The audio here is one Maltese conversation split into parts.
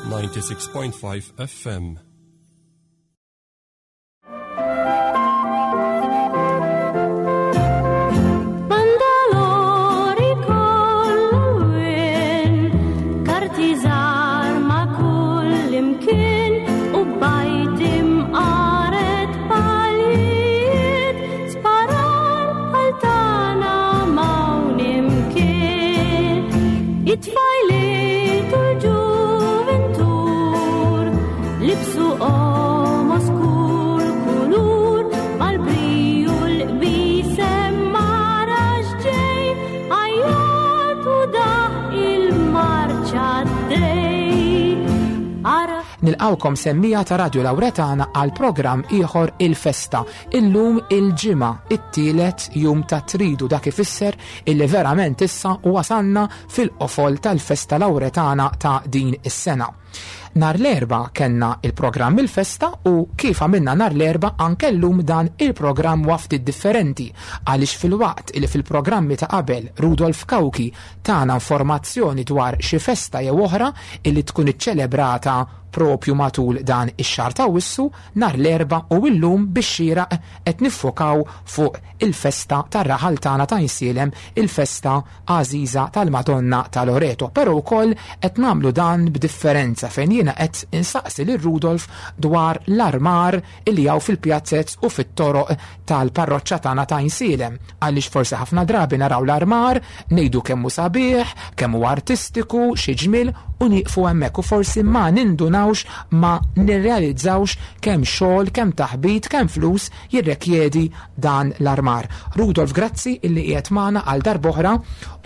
96.5 FM. Bandalori kollwin, karti żgħar ma' kull imkien u bajt imqaret palijiet, sparar bħal tagħna m'hawn imkien. It-tfajliet u l-ġuventur libsu qomos kull kulur mal-briju l-qbisem mara x'ġej għajjat u daħ il-marċa dej. Ara Nilqawkom semmija ta' Radio Lauretana għal programm ieħor Il-Festa. Illum il-Ġimgħa, it-tielet jum ta' Tridu, dak ifisser illi verament issa wasalna fil-qofol tal-Festa Lauretana ta' din is-sena. Nar l-Erbgħa kellna il-programm Il-Festa u kif għamilna nar l-Erbgħa anke llum dan il-programm huwa ftit differenti għaliex filwaqt illi fil-programmi ta' qabel Rudolf Cauchi tana informazzjoni dwar xi festa jew oħra illi tkun iċċelebrata propju matul dan ix-xahar ta' Awwissu, nhar l-Erbgħa u illum bix-xieraq qed niffokaw fuq il-festa tar-raħal tagħna ta' Għajnsielem, il-festa għażiża tal-Madonna ta' Loreto. Però wkoll qed nagħmlu dan b'differenza fejn jiena qed insaqsi lil Rudolf dwar l-armar illi hawn fil-pjazzez u fit-toroq tal-parroċċa tagħna ta' Għajnsielem, għaliex forsi ħafna drabi naraw l-armar, ngħidu kemm hu sabiħ, kemm hu artistiku, xi ġmiel, u nieqfu hemmhekk u forsi ma nindunawx, ma nirrealizzawx kemm xogħol, kemm taħbit, kemm flus jirrekjedi dan l-armar. Rudolf, grazzi illi qiegħed magħna għal darb'oħra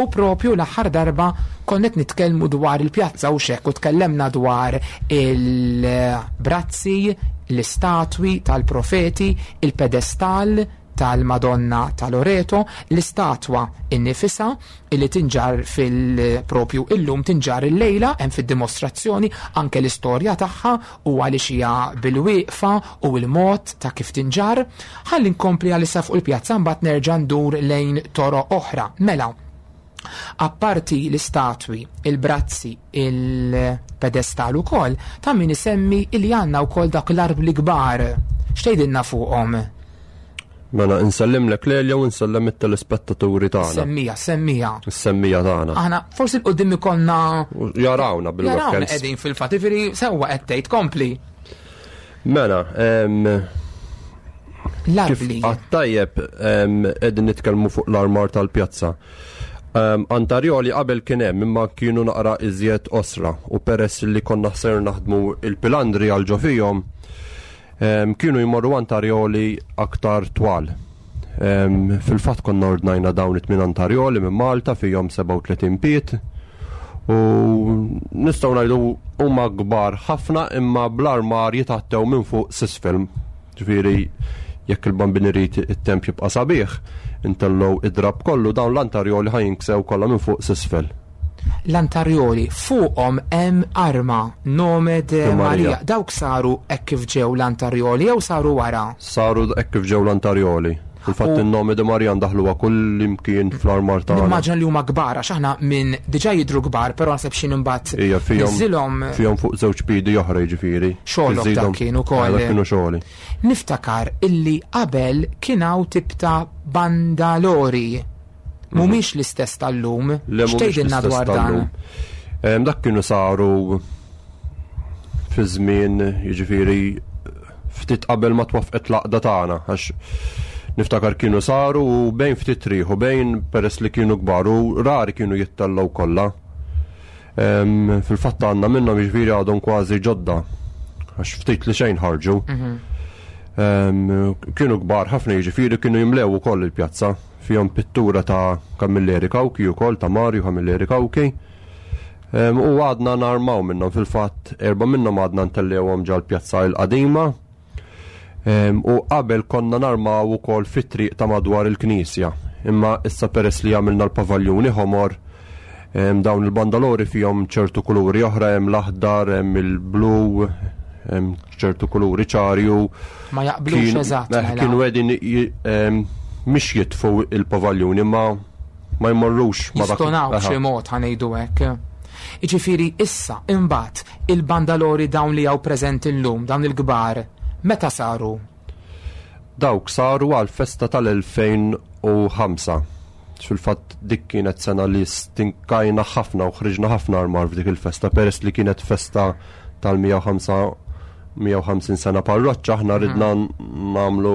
u propju l-aħħar darba konna qed nitkellmu dwar il-pjazza u xekk u tkellemna dwar il-brazzi, l-istatwi tal-profeti, il-pedestal tal-Madonna ta' Loreto, l-istatwa innifisha illi tinġar fil-propju illum, tinġar il-lejla hemm fid-dimostrazzjoni anke l-istorja tagħha u għaliex hija bil-wieqfa u l-mod ta' kif tinġar. Ħalli nkompli għalissa fuq il-pjazza mbagħad nerġa' ndur lejn toroq oħra. Mela, apparti l-istatwi, il-brazzi, il-pedestal ukoll, ta' min isemmi li għandna wkoll dak l-arbli kbar. X'tgħidilna fuqhom? Mela, insellimlek Lelja u nsellem it-telespettaturi tagħna. Semmija, semmija. Semmija tagħna. Aħna forsi l-qudiem ikollna Jarawna bil-webcams. Jarawna qegħdin fil-fatt, jiġifieri sewwa qed tgħid, kompli. Mela, L-arbli. Kif għat-tajjeb, qegħdin nitkellmu fuq l-armar tal-pjazza. Antarjoli qabel kien hemm imma kienu naqra iżjed osra u peress li konna ħser naħdmu il-pilandri għal ġo fihom, kienu jmorru antarjoli aktar twal. Fil-fatt konna ordnajna dawn it-tmien antarjoli minn Malta fihom 37 piet u nistgħu ngħidu huma kbar ħafna imma bl-armar jitgħattew minn fuq s'isfel. Ġifieri jekk il-bambin irid it-temp jibqa' sabiħ, intellgħu id-drab kollu dawn l-antarjoli ħa jinksew kollha minn fuq s'isfel. L-antarjoli fuqhom hemm arma nome de De Maria. Maria. Dawk saru hekk kif ġew l-antarjoli jew saru wara? Saru hekk kif ġew l-antarjoli. Fil-fatt in-nome de Maria ndaħluha kull imkien fl-armar tagħna. Nimmaġina li huma kbar għax aħna minn diġà jidhru kbar, però naħseb xi imbagħad Ija, niżilhom fihom fuq żewġ pidi oħra jiġifieri. Xogħolok dak Iżidhom. kien ukoll. Dak kienu xogħli. Niftakar illi qabel kien hawn tip ta' bandalori. Mhumiex l-istess tal-lum. Le, mhumiex X'tgħidilna l-istess dwar dan? tal-lum. Dak kienu saru fi żmien, jiġifieri ftit qabel ma twaffqet l-għaqda tagħna, għax niftakar kienu saru u bejn ftit riħ u bejn peress li kienu kbar u rari kienu jittellgħu kollha. Fil-fatt għandna minnhom jiġifieri għadhom kważi ġodda, għax ftit li xejn ħarġu. Kienu kbar ħafna jiġifieri kienu jimlew ukoll il-pjazza. Fihom pittura ta' Camilleri Cauchi ukoll, ta' Mario Camilleri Cauchi. U għadna narmaw minnhom fil-fatt erba' minnhom għadna ntellewhom ġal-pjazza l-qadima. U qabel konna narmaw ukoll fit-triq ta' madwar il-knisja. Imma issa peress li għamilna l-pavaljuni ħomor, dawn il-bandalori fihom ċertu kuluri oħra, hemm l-aħdar, hemm il-blu, hemm ċertu kuluri ċarju. Ma jaqblux eżatt, mela. Kienu qegħdin mhix jitfu il-pavaljuni, ma jmorrux ma dak Jistonaw Aha. b'xi mod ħanejdu hekk. Jiġifieri issa imbagħad il-bandalori dawn li hawn preżenti llum, dawn il-kbar, meta saru? Dawk saru għall-festa tal-2005. Fil-fatt dik kienet sena li stinkajna ħafna u ħriġna ħafna armar f'dik il-festa peress li kienet festa tal-105 150 sena parroċċa aħna ridna nagħmlu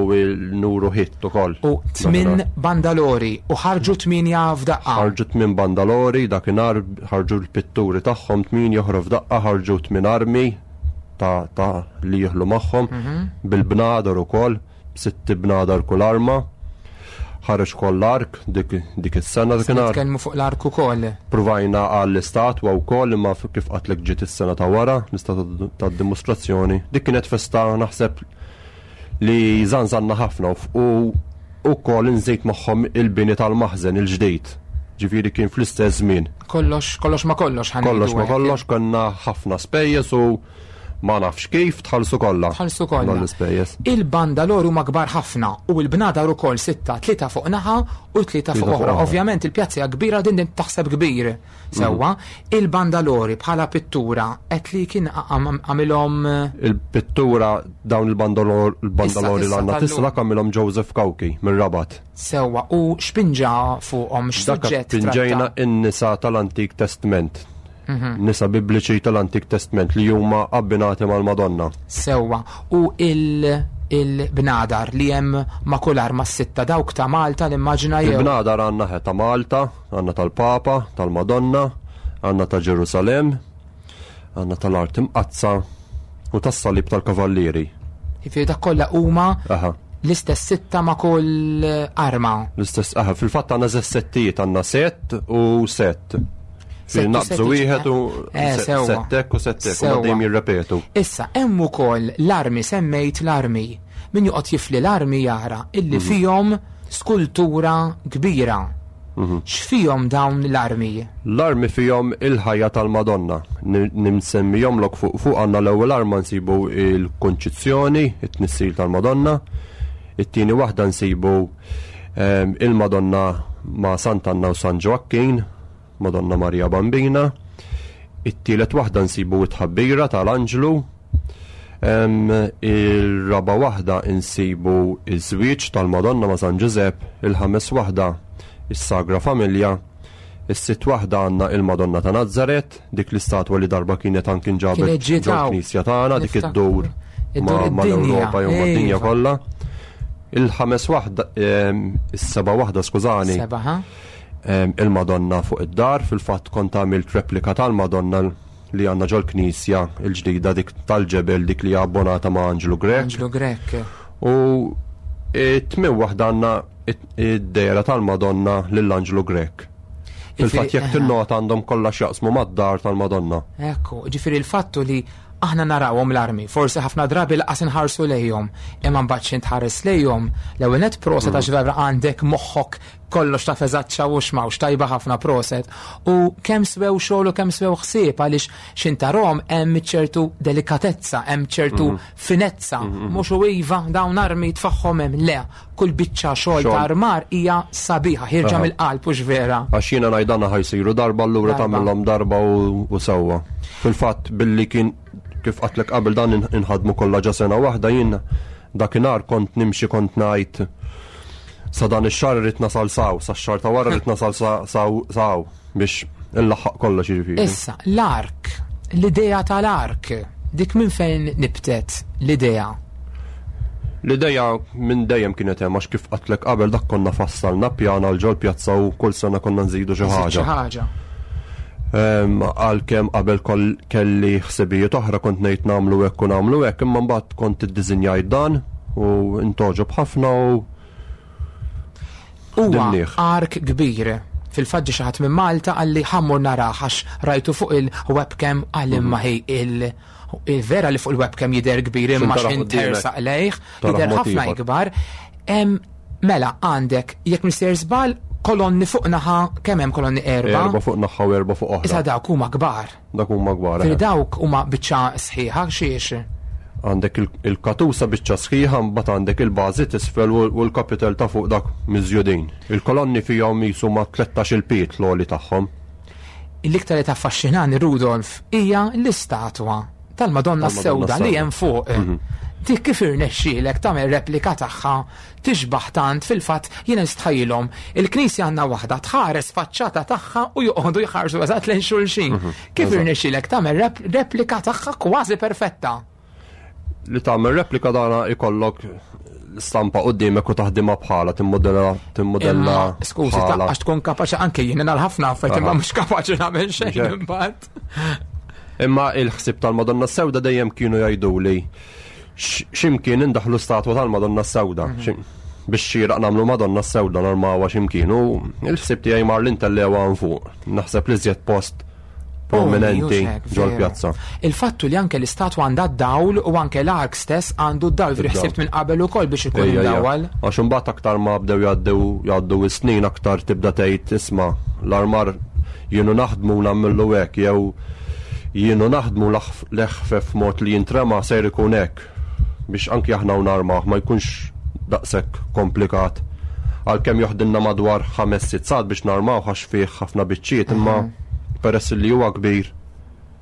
nuru hit ukoll. U tmin bandalori u ħarġu tminja f'daqqa. Ħarġu tmin bandalori dakinhar ħarġu l-pitturi tagħhom tmin joħru f'daqqa ħarġu tmin armi ta', ta li jieħlu magħhom bil-bnadar ukoll, b'sitt bnadar kull arma. Ħareġ ukoll l-ark dik, dik is-sena dakinhar. Nitkellmu fuq l-ark ukoll. Pruvajna għall-istatwa wkoll imma kif qatlek ġiet is-sena ta' wara, l-istatwa tad-dimostrazzjoni. Dik kienet festa naħseb li żanżanna ħafna u wkoll inżejt magħhom il-bini tal-maħżen il-ġdid. Ġifieri kien fl-istess żmien. Kollox, kollox ma kollox ħa Kollox ma ngħidu hekk. kollox konna ħafna spejjeż u ma nafx kif tħallsu kollha. Tħallsu kollha. Dawn l-ispejjeż. Il-bandalori huma kbar ħafna u l-bnadar ukoll sitta, tlieta fuq naħa u tlieta fuq Tlieta fuq oħra. oħra. Ovvjament il-pjazza hija kbira din din taħseb kbir. Sewwa, il-bandalori bħala pittura qed li kien għamilhom Il-pittura dawn il-bandalori Issa, l għandna tal-lum. tista' dak għamilhom Joseph Cauchi minn Rabat. Sewwa u x'pinġa fuqhom Dak x'suġġett pinġejna tratta? in-nisa tal-Antik Testament. Nisa bibliċi tal-Antik Testament li huma abbinati mal-Madonna. Sewwa u il il-bnadar li hemm ma' kull arma s-sitta dawk ta' Malta l-immaġina jew. Il-bnadar għandna ħe ta' Malta, għandna tal-Papa, tal-Madonna, għandna ta' Ġerusalem, għandna tal-Art Imqazza u tas-Salib tal-Kavallieri. Jiġifieri dak kollha huma Aha. l-istess sitta ma' kull arma. L-istess, aha, fil-fatt għandna żewġ settijiet, għandna sett u sett. Sett u Naqbżu sett, wieħed u sewwa. settek u settek, u Sewwa. dejjem jirrepetu. Issa, hemm ukoll l-armi semmejt l-armi. Min joqgħod jifli l-armi jara illi fihom skultura kbira. X'fihom dawn l-armi? L-armi fihom il-ħajja tal-Madonna. Nimsemmihom lok fuq fuq għandna l-ewwel arma nsibu il-Kunċizzjoni, it-tnissil tal-Madonna. It-tieni waħda nsibu il-Madonna ma' Sant'Anna u San Ġoakkin, Madonna Maria Bambina. It-tielet waħda nsibu it-tħabbira tal-Anġlu. Il-raba waħda insibu iż-żwieġ tal-Madonna ma' San Ġużepp, il-ħames waħda is-Sagra Familja, is-sitt waħda għandna il-Madonna ta' Nazzaret, dik l-istatwa li darba kienet anki nġabet Kienet ġiet hawn. ġol-Knisja tagħna, dik Niftakru. iddur Iddur ma' id-dinja. l-Ewropa jew mad-dinja Iva. kollha. Il-ħames waħda, is-seba' waħda, skużani, Seba, ha? il-Madonna fuq id-dar, fil-fatt kont għamilt replika tal-Madonna li għandna ġol-Knisja il-ġdida dik tal-ġebel dik li hija abbonata ma' Anġlu Grech. Anġlu Grech. U it-tmien waħda għandna id-dehra tal-Madonna lill-Anġlu Grech. Fil-fatt jekk tinnota għandhom kollha x'jaqsmu mad-dar tal-Madonna. Ekku, ġifieri il-fattu li aħna narawhom l-armi, forsi ħafna drabi laqas inħarsu lejhom, imma mbagħad xi tħares lejhom, l-ewwel net proset għax vera għandek moħħok kollox ta' feżaċċa u xmawx tajba ħafna proset. U kemm swew xogħol u kemm swew ħsieb għaliex xintarhom hemm ċertu delikatezza, hemm ċertu finezza, mhux u iva dawn armi tfaħħom hemm le, kull biċċa xogħol ta' Xogħol. armar hija sabiħa, ħirġa mill-qalb u vera. Għax jiena ngħidana ħajsiru darba allura Darba. tagħmilhom darba u sewwa. Fil-fatt billi kien kif qatlek qabel dan inħadmu kollha ġa sena waħda jien dakinhar kont nimxi kont ngħid sa dan ix-xahar irrid nasal saw, sa x-xahar ta' wara rrid nasal saw saw biex inlaħħaq kollox jiġifieri. Issa, l-ark, l-idea tal-ark, dik minn fejn nibtet l-idea? L-ideja minn dejjem kienet hemm għax kif qatlek qabel dak konna fassalna pjana għal ġol pjazza u kull sena konna nżidu xi Xi ħaġa. ħaġa. Għalkemm qabel kelli ħsibijiet oħra kont ngħid nagħmlu hekk u nagħmlu hekk, imma mbagħad kont iddiżinjajt dan u intoġob ħafna u Huwa Dimnieh. ark kbir. Fil-fatt ġie xi ħadd minn Malta qalli ħammur narah għax rajtu fuq il-webcam għal imma hi il-vera li fuq il-webcam jidher kbir imma X'in tara x'in qudiemek. tersaq lejh, Tara jidher mod ħafna ieħor. ikbar. Mela għandek jekk mister żball kolonni fuq naħa kemm hemm kolonni erba'? Erba' fuq naħa u erba' fuq oħra. Issa dawk huma kbar. Dak huma kbar. Fil dawk huma biċċa sħiħa xiex. Għandek il-katusa biċċa sħiħa, mbagħad għandek il-bażi tisfel u l-kapitel ta' fuq dak miżjudin. Il-kolonni fihom jisu ma' 13 il-piet l-għoli tagħhom. L-iktar li taffaxxinani, Rudolf, hija l-istatwa tal-Madonna s-Sewda li hemm fuq. Dik kif irnexxielek tagħmel replika tagħha tixbaħ tant? Fil-fatt jiena nistħajjilhom il-knisja għandna waħda tħares faċċata tagħha u joqogħdu jħarsu eżatt lejn xulxin. Kif irnexxielek tagħmel replika tagħha kważi perfetta? Li tagħmel replika dana ikollok stampa qudiemek u taħdimha bħala timmodella timmodella. Skużi, għax tkun kapaċi anke jien nhar ħafna affarijiet imma mhux kapaċi nagħmel xejn imbagħad. Imma il-ħsieb tal-Madonna Sewda dejjem kienu jgħiduli x'imkien indaħlu statwa tal-Madonna Sewda. Biex xieraq nagħmlu Madonna Sewda narmawha x'imkien u il-ħsieb tiegħi mar l-intellewa fuq. Naħseb li żjed post prominenti ġol-pjazza. Il-fattu li anke l-istatwa għandha d-dawl u anke l-ark stess għandu d-dawl, ħsibt minn qabel ukoll biex ikun imdawwal. Għax imbagħad aktar ma bdew jgħaddew jgħaddu s-snin, aktar tibda tgħid, isma', l-armar jienu naħdmu nagħmlu hekk jew jienu naħdmu l-eħfef mod li jintrema ser ikun hekk biex anki aħna u narmaw ma jkunx daqshekk komplikat. Għalkemm joħdilna madwar 5-6 sigħat biex narmaw għax fih ħafna biċċiet, imma peress li huwa kbir.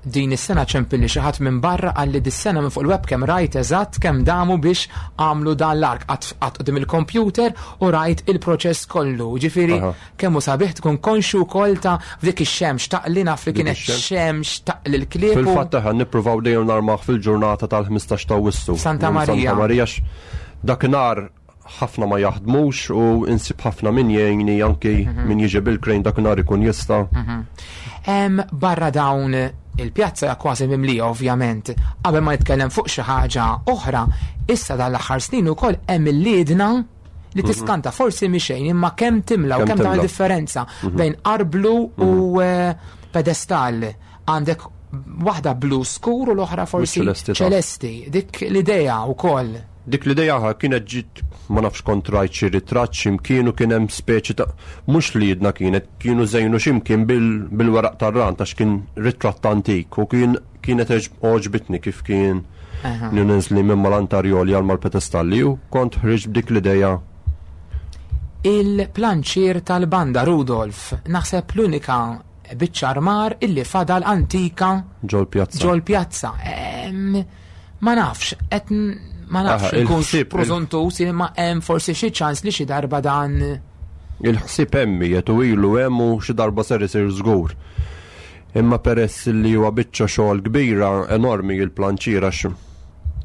Din is-sena ċempilli xi ħadd minn barra, qalli dis-sena minn fuq il-webcam rajt eżatt kemm damu biex għamlu dan l-ark, qatt quddiem il-computer u rajt il-proċess kollu. Ġifieri kemm hu sabiħ tkun konxju wkoll ta' f'dik ix-xemx taqli, naf li kienet xemx taqli l-klieb. Fil-fatt aħna nippruvaw dejjem narmaw fil-ġurnata tal-15 ta' Awwissu. Santa Marija. Santa Marija, dakinhar ħafna ma jaħdmux u insib ħafna min jgħinni, anki min jiġi bil-crane dakinhar ikun jista'. Barra dawn, il-pjazza hija kważi mimlija ovvjament. Qabel ma nitkellem fuq xi ħaġa oħra, issa dan l-aħħar snin ukoll hemm il-liedna li tiskanta, forsi mixejn, imma kemm timla u kemm tagħmel differenza bejn arblu u pedestal. Għandek waħda blu skur u l-oħra forsi ċelesti. Dik l-idea wkoll. Dik l-idea kienet ġiet, ma nafx kont rajt xi ritratt x'imkien u kien hemm speċi ta' mhux li jedna kienet kienu żejnu x'imkien bil-weraq tar-rand għax kien ritratt antik u kien kienet għoġbitni kif kien ninżli minn mal-antarjoli għal mal-pedestalli u kont ħriġt b'dik l-idea. Il-planċier tal-banda, Rudolf, naħseb l-unika biċċa armar illi fadal antika ġol-pjazza. Ġol-pjazza. Ma nafx, qed ma nafx nkun preżuntus imma hemm forsi xi ċans li xi darba dan. Il-ħsieb hemm qiegħed u ilu hemm u xi darba ser isir żgur. Imma peress li huwa biċċa xogħol kbira enormi il-planċier, għax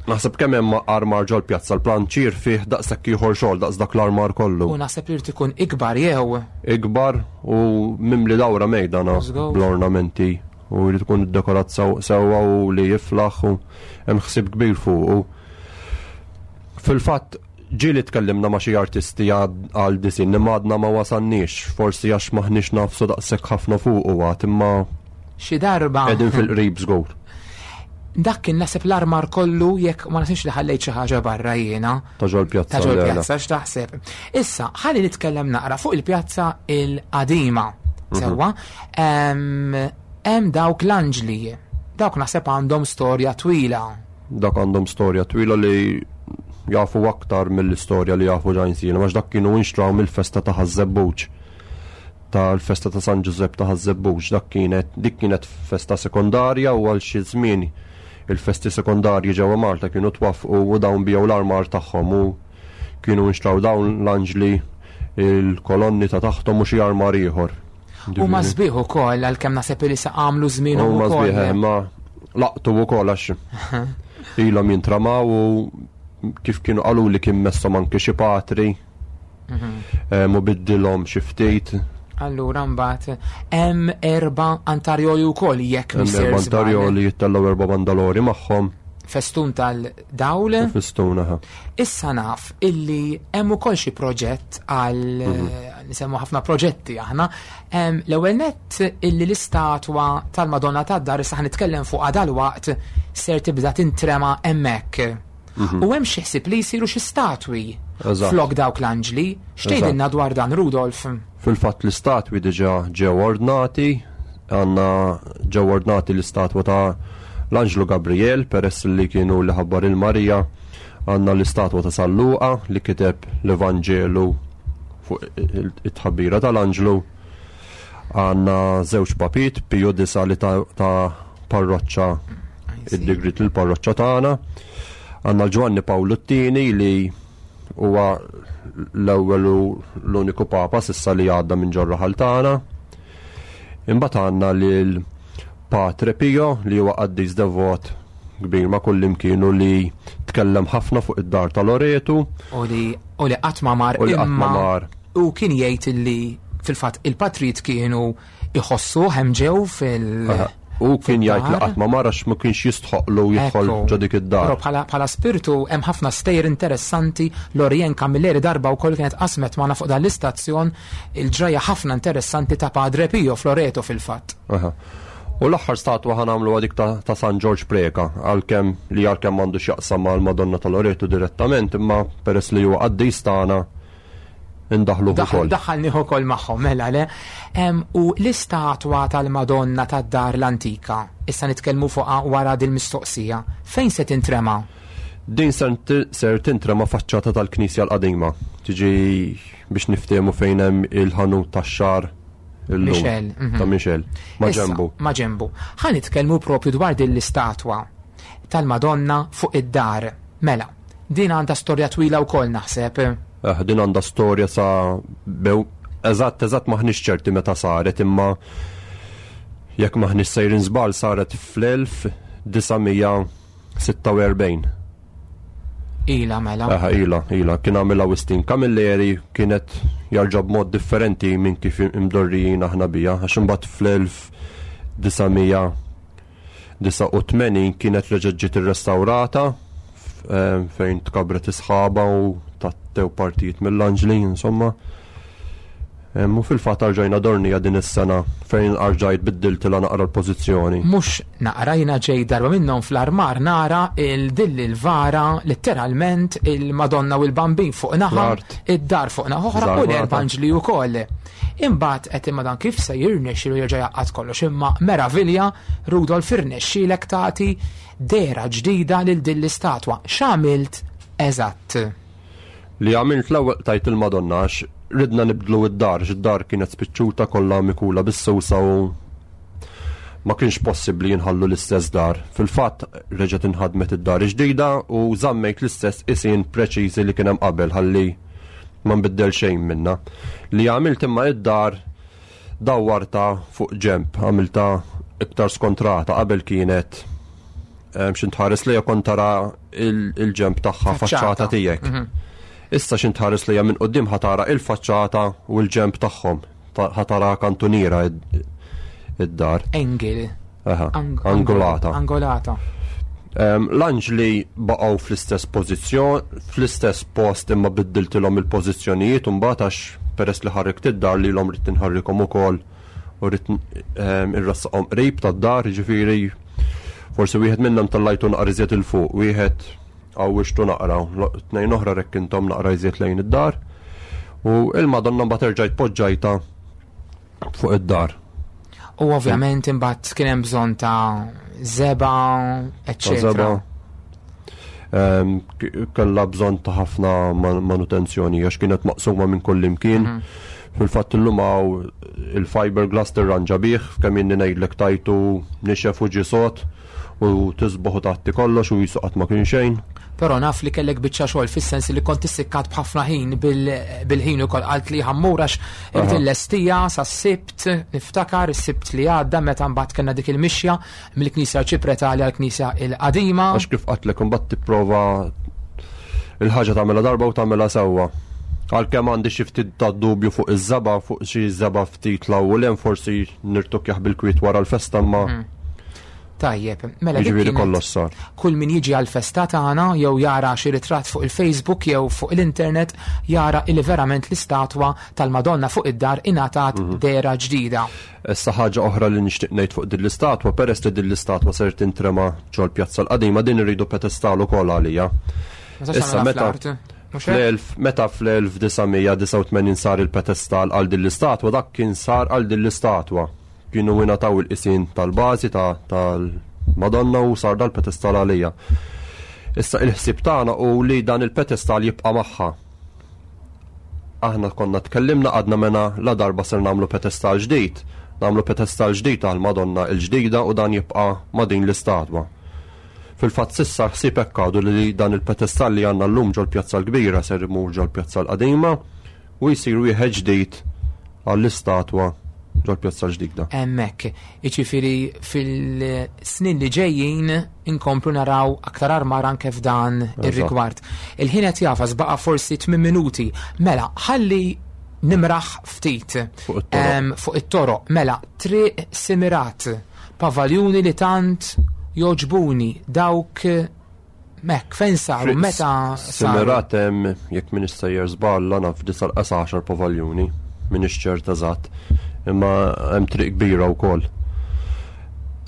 naħseb kemm hemm armar ġol-pjazza, l-planċier fih daqshekk ieħor xogħol daqs dak l-armar kollu. U naħseb li jrid ikun ikbar jew ikbar u mimli dawra mejdana bl-ornamenti u jrid ikun iddekorat sewwa u li jiflaħ u hemm ħsieb kbir fuq. Fil-fatt ġieli tkellimna ma' xi artisti għal disin imma għadna ma wasalniex, forsi għax maħniex nafsu daqshekk ħafna fuq u għad, imma xi darba qegħdin fil-qrib żgur. Dak kien naħseb l-armar kollu, jekk ma nasibx li ħallejt xi ħaġa barra jiena. Ta' ġol-pjazza. Ta' ġol-pjazza, x'taħseb? Issa, ħalli nitkellem naqra fuq il-pjazza il-qadima. Sewwa, hemm dawk l-anġli. Dawk naħseb għandhom storja twila. Dak għandhom storja twila li jafu aktar mill-istorja li jafu ġajnsina, għax dak kienu inxtraw mill-festa ta' Ħaż-Żebbuġ. Tal-festa ta' San Ġużepp ta' Ħaż-Żebbuġ, dik kienet festa sekondarja u għal xi żmien il-festi sekondarji ġewwa Malta kienu twaffqu u dawn biegħu l-armar tagħhom u kienu nxtraw dawn l-anġli, il-kolonni ta' taħthom u xi armar ieħor. U ma sbieħ ukoll, għalkemm naħseb li sa għamlu żmienhom U ma ukoll. sbieħ, ma laqtu wkoll għax ilhom jintramaw u kif kienu qalu li kien messhom anke xi patri. Mu biddilhom xi ftit. Allura mbagħad hemm 4 antarjoli wkoll jekk Hemm missier 4 żball. antarjoli jittellgħu 4 bandalori magħhom. Festun tal-dawl. U festun, aha. Issa naf illi hemm ukoll xi proġett għal, nisemmu ħafna proġetti aħna. L-ewwel nett illi l-istatwa tal-Madonna tad-Dar, issa ħanitkellem fuqha dalwaqt, ser tibda tintrema hemmhekk. U hemm xi ħsieb li jsiru xi statwi flok dawk l-anġli. X'tgħidilna dwar dan, Rudolf? Fil-fatt l-istatwi diġà ġew ordnati, għandna ġew ordnati l-istatwa ta' l-Anġlu Gabriel, peress li kienu li ħabbar il-Marija, għandna l-istatwa ta' San Luqa li kiteb l-Evanġelu fuq it-tħabbira tal-Anġlu. Għandna żewġ papit, Piju Disa li ta' parroċċa id-digrit lill-parroċċa tagħna. Għandna Ġwanni Pawlu t-Tieni li huwa l-ewwel u l-uniku papa s'issa li għadda minn ġor-raħal tagħna. Imbagħad għandna lil Patre Pio li huwa qaddis devot kbir ma' kullimkien u li tkellem ħafna fuq id-dar ta' Loretu. U li u li qatt ma mar U li qatt ma mar. U kien jgħid li fil-fatt il-patrijiet kienu iħossuh hemm ġew fil- U kien jgħid li qatt ma mar għax ma kienx jistħoqlu jidħol ġo dik id-dar. Però bħala bħala spirtu hemm ħafna stejjer interessanti. Lorien Camilleri darba wkoll kienet qasmet magħna fuq dan l-istazzjon il-ġrajja ħafna interessanti ta' Padre Pio Floreto fil-fatt. U l-aħħar statwa ħa nagħmluha dik ta' San Ġorġ Preca, għalkemm li għalkemm m'għandu x'jaqsam mal-Madonna ta' Loreto direttament, imma peress li huwa qaddis tagħna indaħħluh ukoll. Daħħalnih ukoll magħhom, mela le. U l-istatwa tal-Madonna tad-Dar l-Antika, issa nitkellmu fuqha wara dil-mistoqsija, fejn se tintrema? Din ser tintrema faċċata tal-Knisja l-Qadima. Tiġi biex niftehmu fejn hemm il-ħanut tax-xagħar illum. Michel. Ta' Michel. Ma' ġembu. Ma' ġembu. Ħa nitkellmu propju dwar din l-istatwa tal-Madonna fuq id-dar. Mela, din għandha storja twila wkoll naħseb. Eh, din għandha storja sa bew eżatt eżatt maħniex ċerti meta saret imma jekk maħniex sejrin żball saret fl-1946. Ila mela. Aha, ila, ila. Kien għamilha Wistin Camilleri, kienet jarġa' b'mod differenti minn kif imdorrijin aħna bija, għax imbagħad fl-1989 kienet reġgħet ġiet irrestawrata fejn tkabret isħaba u tattew partijiet mill-anġli, insomma. U fil-fatt arġajna dornija din is-sena fejn arġajt biddiltilha naqra l-pożizzjoni. Mhux naqra, jiena ġej darba minnhom fl-armar nara il-dill il-vara letteralment il-Madonna u l-Bambin fuq naħa, id-dar fuq naħa oħra u l-erba' anġli wkoll. Imbagħad qed imma dan kif se jirnexxilu jerġa' jgħaqqad kollox imma meravilja Rudolf irnexxielek tagħti dehra ġdida lil din l-istatwa. X'għamilt eżatt? Li għamilt l-ewwel qtajt il-Madonna għax ridna nibdlu id-dar, għax id-dar kienet spiċċuta kollha mikula bis-susa u ma kienx possibbli jinħallu l-istess dar. Fil-fatt reġgħet inħadmet id-dar ġdida u żammejt l-istess qisien preċiżi li kien hemm qabel ħalli ma nbiddel xejn minnha. Li għamilt imma id-dar dawwarta fuq ġenb, għamilta iktar skontrata, qabel kienet x'int tħares lejha kont tara il-ġenb tagħha faċċata tiegħek. Issa x'int tħares lejha minn quddiem ħa tara il-faċċata u l-ġenb tagħhom, ħa tara kantuniera id-dar. Angle. Aha, angolata. Angolata. L-anġli baqgħu fl-istess pożizzjon, fl-istess post imma biddiltilhom il-pożizzjonijiet u mbagħad għax peress li ħarrikt id-dar lilhom ridt inħarrikhom ukoll u rrid irrassaqhom qrib tad-dar, jiġifieri forsi wieħed minnhom tellajtu naqra iżjed 'il fuq, wieħed għawwiġtu naqra, tnejn oħra rekkinthom naqra iżjed lejn id-dar. U il-Madonna mbagħad erġajt poġġajta fuq id-dar. U ovvjament imbagħad kien hemm bżonn ta' żebgħa, eċċetera. Kellha bżonn ta' ħafna manutenzjoni għax kienet maqsuma minn kull imkien. Fil-fatt illum hawn il-fiberglass tirranġa bih, kemm inni ngħidlek tajtu nixef u ġie sod u tisboħ u tgħatti kollox u jisu qatt ma kien xejn. Però naf li kellek biċċa xogħol fis-sens li kont issikkat b'ħafna ħin bil-ħin ukoll qalt li ħammur għax irid illestija sas-Sibt, niftakar is-Sibt li għadda meta mbagħad kellna dik il-mixja mill-Knisja Arċipretali għall-Knisja l-Qadima. Għax kif qatlek imbagħad tipprova il-ħaġa tagħmilha darba u tagħmilha sewwa. Għalkemm għandi xi ftit ta' dubju fuq iż-żebgħa, fuq xi żebgħa ftit 'l hawn u 'l hemm forsi nirtukkjah bil-kwiet wara l-festa imma Tajjeb, mela dik Jiġifieri kienet kollox sar. Kull min jiġi għall-festa tagħna jew jara xi ritratt fuq il-Facebook jew fuq l-internet jara illi verament l-istatwa tal-Madonna fuq id-dar ingħatat dehra ġdida. Issa ħaġa oħra li nixtieq ngħid fuq din l-istatwa, peress li din l-istatwa ser tintrema ġol-Pjazza l-Qadima, din irridu pedestal ukoll għalija. Ma tistax Issa tagħmilha meta fl-art, mhux hekk? meta fl-1989 sar il-pedestal għal din l-istatwa, dak kien sar għal din l-istatwa. Kienu ingħataw il-qisien tal-bażi tal-Madonna u sar dal-pedestal għalija. Issa il-ħsieb tagħna hu li dan il-pedestal jibqa' magħha. Aħna konna tkellimna għadna mena la darba ser nagħmlu pedestal ġdid. Nagħmlu pedestal ġdid għal Madonna il-ġdida u dan jibqa' ma' din l-istatwa. Fil-fatt s'issa l-ħsieb hekk għadu li dan il-pedestal li għandna llum ġol-Pjazza l-Kbira ser imur ġol-Pjazza l-Qadima u jsir wieħed ġdid għall-istatwa ġol-Pjazza l-Ġdida. Hemmhekk. Jiġifieri fil-snin li ġejjin inkomplu naraw aktar armar anke f'dan ir-rigward. Il-ħin qed jafas baqa' forsi 8 minuti. Mela, ħalli nimraħ ftit fuq it-toroq. Mela, triq Simirat, pavaljuni li tant joġbuni dawk Mek, fejn saru, meta saru? Simirat hemm jekk min issejjer żball naf disa' l-qas pavaljuni, minix ċert eżatt, imma hemm triq kbira wkoll.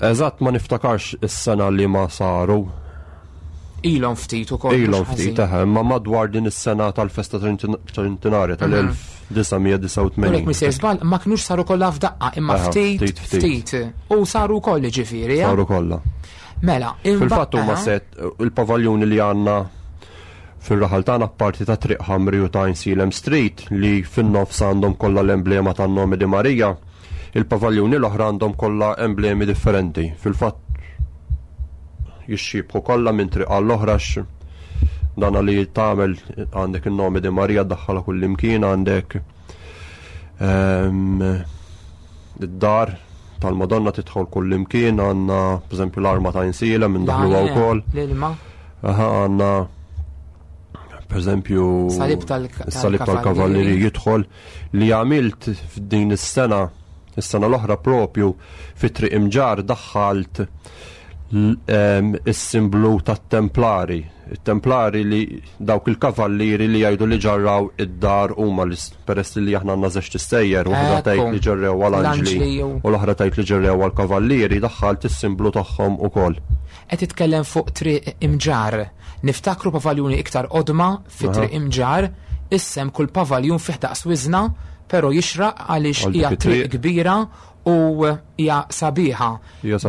Eżatt ma niftakarx is-sena li ma saru. Ilhom ftit ukoll. Ilhom ftit, eħe, imma madwar din is-sena tal-festa Trintinarja tal-1989. Jekk misir żball, ma kinux saru kollha f'daqqa, imma ftit ftit. U saru wkoll ġifieri. Eh? Saru kollha. Mela, fil-fatt huma set il-pavaljuni li għandna fir-raħal tagħna parti ta' Triq Ħamri u ta' Insilem Street li fin-nofs għandhom kollha l-emblema tan-nomi di Marija. Il-pavaljuni l-oħra għandhom kollha emblemi differenti. Fil-fatt jixxibħu kollha minn triq għall-oħra dana li tagħmel għandek in-nomi di Marija daħħala kull imkien għandek ehm, id-dar tal-Madonna tidħol kull imkien għandna pereżempju l-arma ta' insiela minn daħlu wkoll. L-ilma. Aha għandna pereżempju salib tal-kavallieri jidħol li għamilt f'din is-sena is-sena l-oħra propju fi triq imġar daħħalt is-simblu tat-templari. It-templari li dawk il-kavallieri li jgħidu li ġarraw id-dar huma li peress li aħna għandna żewġ tissejjer, waħda tgħid li ġerrew għal anġli u l-oħra tgħid li ġerrew għal kavallieri, daħħalt is-simblu tagħhom ukoll. Qed titkellem fuq triq imġar. Niftakru pavaljuni iktar qodma fi triq imġar, issem kull pavaljun fih daqs wiżna, però jixraq għaliex hija triq kbira u hija sabiħa.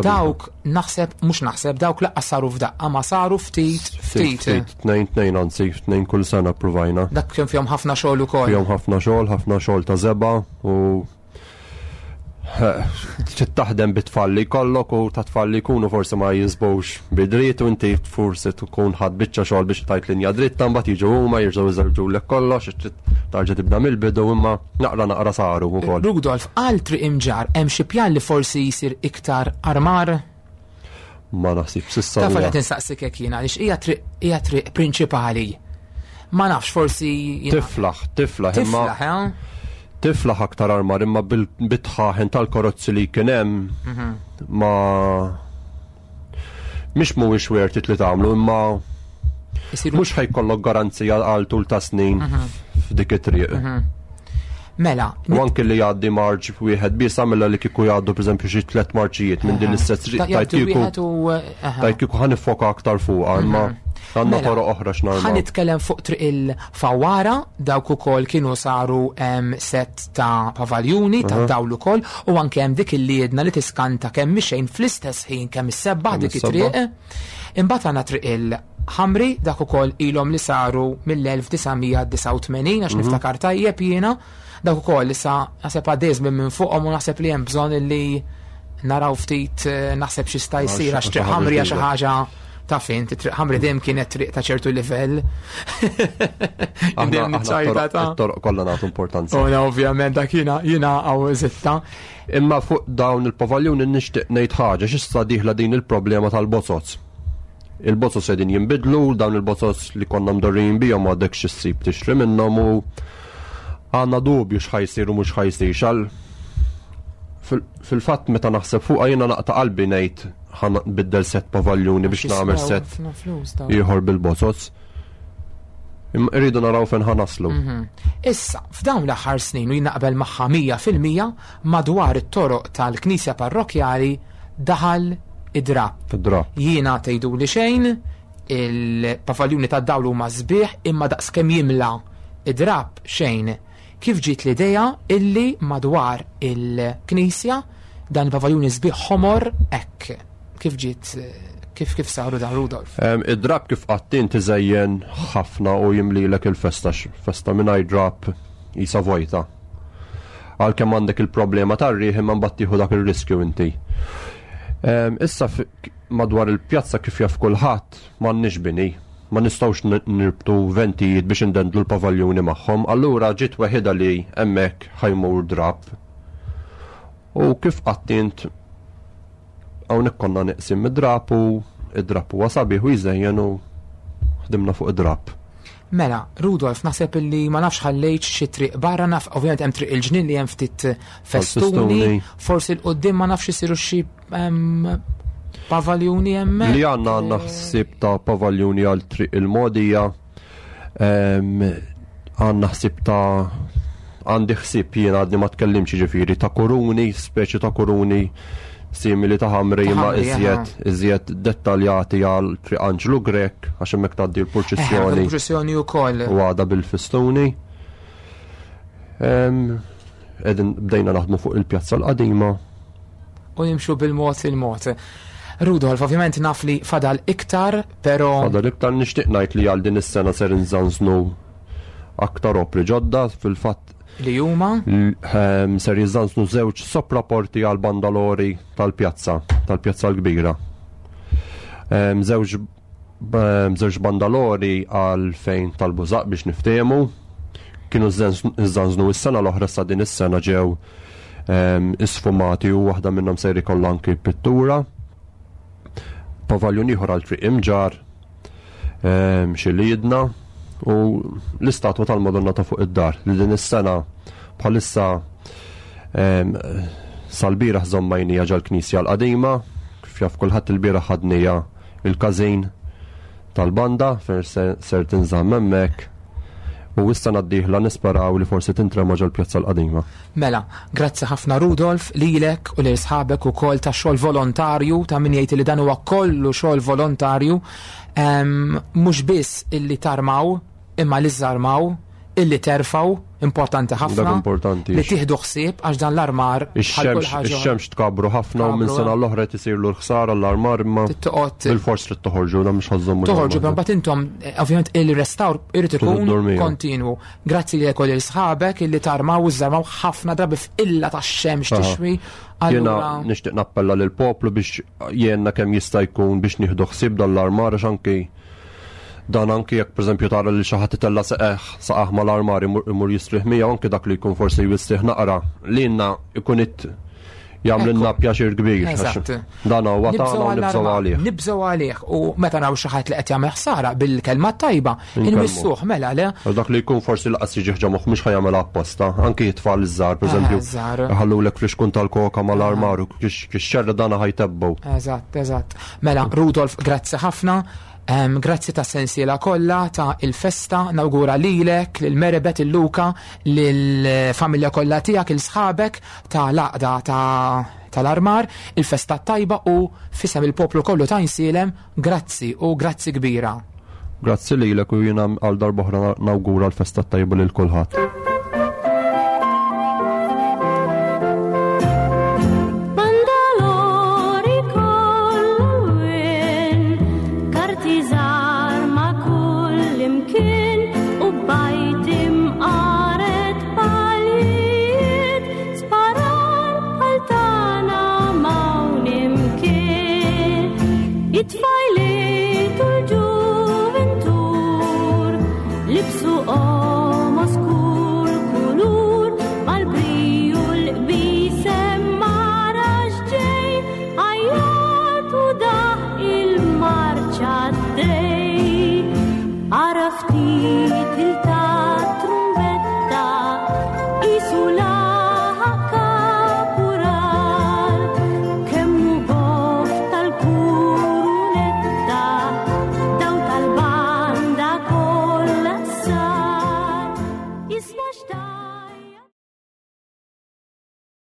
Dawk naħseb, mhux naħseb, dawk laqqas saru f'daqqa ma saru ftit ftit. Ftit, tnejn tnejn anzi, tnejn kull sena provajna. Dak kien fihom ħafna xogħol ukoll. Fihom ħafna xogħol, ħafna xogħol ta' żeba u trid taħdem bit-tfal li jkollok u ta' tfal li jkunu forsi ma jinsbux bidriet u inti forsi tkun ħadd biċċa xogħol biex tajt linja dritta mbagħad jiġu huma jerġgħu jżewġulek kollox tarġa' tibda mill-bidu imma naqra naqra saru wkoll. Rudolf, għal triq imġar hemm xi pjan li forsi jsir iktar armar? Ma naħsib sissa. Taf qed insaqsik hekk jiena għaliex hija triq hija triq prinċipali. Ma nafx forsi. Tiflaħ, tiflaħ imma. Tiflaħ, eh? Tiflaħ aktar armar imma bil-bitħaħen tal-karozzi li kien hemm mhm. ma mhix mhuwiex worth it li tagħmlu imma mhux ħajkollok garanzija għal tul ta' snin mhm. f'dik it-triq. Mhm. Mela. U anke li jgħaddi marġ wieħed biss għamilha li kieku jgħaddu pereżempju xi tliet marċijiet minn din l-istess triq tajt kieku. Tajt kieku ħa nifoka aktar fuqha imma mhm. għandna mela, toroq oħra x'narma. Ħa nitkellem fuq triq il-Fawara dawk ukoll kienu saru set ta' pavaljuni ta' dawl ukoll u anke hemm dik il-liedna li tiskanta kemm mixejn fl-istess ħin kemm issebbaħ dik it-triq. Imbagħad għandna triq il-Ħamri dak ukoll ilhom li saru mill-1989 għax mhm. niftakar tajjeb jiena dak ukoll issa naħseb għaddej żmien minn fuqhom u naħseb li hemm bżonn li naraw ftit eh, naħseb xi sta jsir għax triq ħamri għax xi ħaġa Ta' fin, triq ħamri dejjem kienet triq ta' ċertu livell. Dejjem niċċajta ta' Toroq kollha nagħtu importanza. Ona ovvjament dak jiena jiena għaw zitta. Imma fuq dawn il-pavaljuni nixtieq ngħid ħaġa x'issa dieħla din il-problema tal-bozoz. Il-bozoz qegħdin jinbidlu, dawn il-bozoz li konna mdorrijin bihom għadek xi ssib tixtri minnhom u għandna dubju x'ħajsir u mhux ħajsir xal Fil-fatt meta naħseb fuqha jiena naqta' qalbi ngħid ħa nbiddel set pavaljuni biex nagħmel set ieħor bil-bozoz. Imma irridu naraw fejn ħa naslu. Mhm. Issa, f'dawn l-aħħar snin u jien naqbel magħha 100% madwar it-toroq tal-Knisja Parrokkjali daħal id-drapp. Id-drapp. Jiena tgħiduli xejn, il-pavaljuni tad-dawl huma sbieħ imma daqskemm jimla id-drapp xejn. Kif ġiet l-idea illi madwar il-knisja dan il-pavaljuni sbieħ ħomor hekk? Kif ġiet kif kif saru dan Rudolf? Id-drab kif qattin tiżejjen ħafna u jimlilek il-festa festa mingħajr drab. Isa vojta. Għalkemm għandek il-problema tar-riħ imma mbagħad tieħu dak ir-riskju inti. Issa madwar il-pjazza kif jaf kulħadd m'għandniex bini. Ma nistgħux nirbtu ventijiet biex indendlu l-pavaljuni magħhom, allura ġiet weħida li hemmhekk ħa jmur drab. U kif qatt int hawnhekk konna neqsim mid-drab u id-drab huwa sabiħ u jżejjen u ħdimna fuq id-drab. Mela, Rudolf, naħseb illi ma nafx ħallejt xi triq barra, naf ovvjament hemm triq il-ġnien li hemm ftit festuni, forsi l-qudiem ma nafx isiru xi pavaljuni hemmhekk. Li għandna ħsieb ta' pavaljuni għal triq il-Modija, għandna ħsieb ta' għandi ħsieb jien għadni ma tkellimx ġifieri ta' kuruni, speċi ta' kuruni simili ta' ħamri Ta' imma ħamri, iżjed dettaljati għal Triq Anġlu Grech għax hemmhekk tgħaddi l-purċissjoni. Il-purċissjoni wkoll. U għada bil-fistuni. Qegħdin bdejna naħdmu fuq il-pjazza l-qadima. U nimxu bil-mod il-mod. Rudolf, ovvjament naf li fadal iktar, pero Fadal iktar, nixtieq ngħid li għal din is-sena ser inżanżnu aktar opri ġodda, fil-fatt li huma? Ser jiżanżnu żewġ sopraporti għal bandalori tal-pjazza, tal-pjazza l-kbira. Żewġ bandalori għal fejn tal-bużaq biex niftehmu. Kienu żanżnu s-sena l-oħra, sa din is-sena ġew isfumati u waħda minnhom ser ikollha anki pittura. Pavaljun ieħor għal Triq Imġar, xi liedna u l-istatwa tal-Madonna ta' fuq id-dar li din is-sena bħalissa sal-bieraħ żommajnija ġal-Knisja l-qadima, kif jaf kulħadd il-bieraħ ħadnija il-każin tal-banda fejn ser tinżamm hemmhekk u issa d-dieħla nisperaw li forsi tintrema ġol-pjazza l-qadima. Mela, grazzi ħafna Rudolf lilek u lil sħabek ukoll ta' xogħol volontarju, ta' min jgħid li dan huwa kollu xogħol volontarju, mhux biss illi tarmaw imma li żarmaw, illi terfaw, importanti ħafna. Dak importanti. Li tieħdu ħsieb għax dan l-armar bħal kull ħaġa. Ix-xemx tkabru ħafna u minn Tkabru, sena l-oħra qed isirlu l-ħsara l-armar imma Tittoqgħod bil-fors trid toħorġu, dan mhux ħażhom Toħorġu, l-armar. mbagħad intom ovvjament il-restawr irid Trid ikun iddormija. kontinwu. Grazzi lilek u lil sħabek illi tarmaw u żarmaw ħafna drabi f'illa tax-xemx tixwi. Jiena Allura nixtieq nappella lill-poplu biex jenna kemm jista' jkun biex nieħdu ħsieb dan l-armar għax anki dan anki jekk pereżempju tara li xi ħadd itella' saqaħ mal-armar imur jistrieħ miegħu, anki dak li jkun forsi jwistrieħ naqra lilna ikun it jagħmlilna pjaċir kbir, għax dan huwa Nibżgħu tagħna u nibżgħu għall-armar, għalih. Nibżgħu għalih u meta naraw xi ħadd li qed jagħmel ħsara bil-kelma tajba, Inkellmu. inwissuh mela le. Għax dak li jkun forsi laqas jiġi ħġa moħħ mhux ħajamel apposta, anki jitfal iż-żgħar, pereżempju, Żgħar. ħallulek fl-ixkun tal-koka mal-armar u kix xerra dana ħajtebbu. Eżatt, eżatt. Mela, Rudolf, grazzi ħafna. Grazzi ta' sensiela kollha ta' il-festa, nawgura lilek, lil Meribet, il-Luka, lil-familja kollha tiegħek, il-sħabek ta' l-għaqda tal-armar, il-festa tajba u fisem il-poplu kollu ta' Għajnsielem, grazzi u grazzi kbira. Grazzi lilek u jiena għal darb'oħra nawgura l-festa tajba lil kulħadd. Bandalori kollu karti żgħar ma' kull imkien u bajt imqaret palijiet, sparar bħal tagħna m'hawn imkien. It-tfajliet u l-ġuventur libsu qomos kull kulur, mal-briju l-qbisem mara x'ġej, għajjat u daħ il-marċa d-dej. Ara ftit il-ta'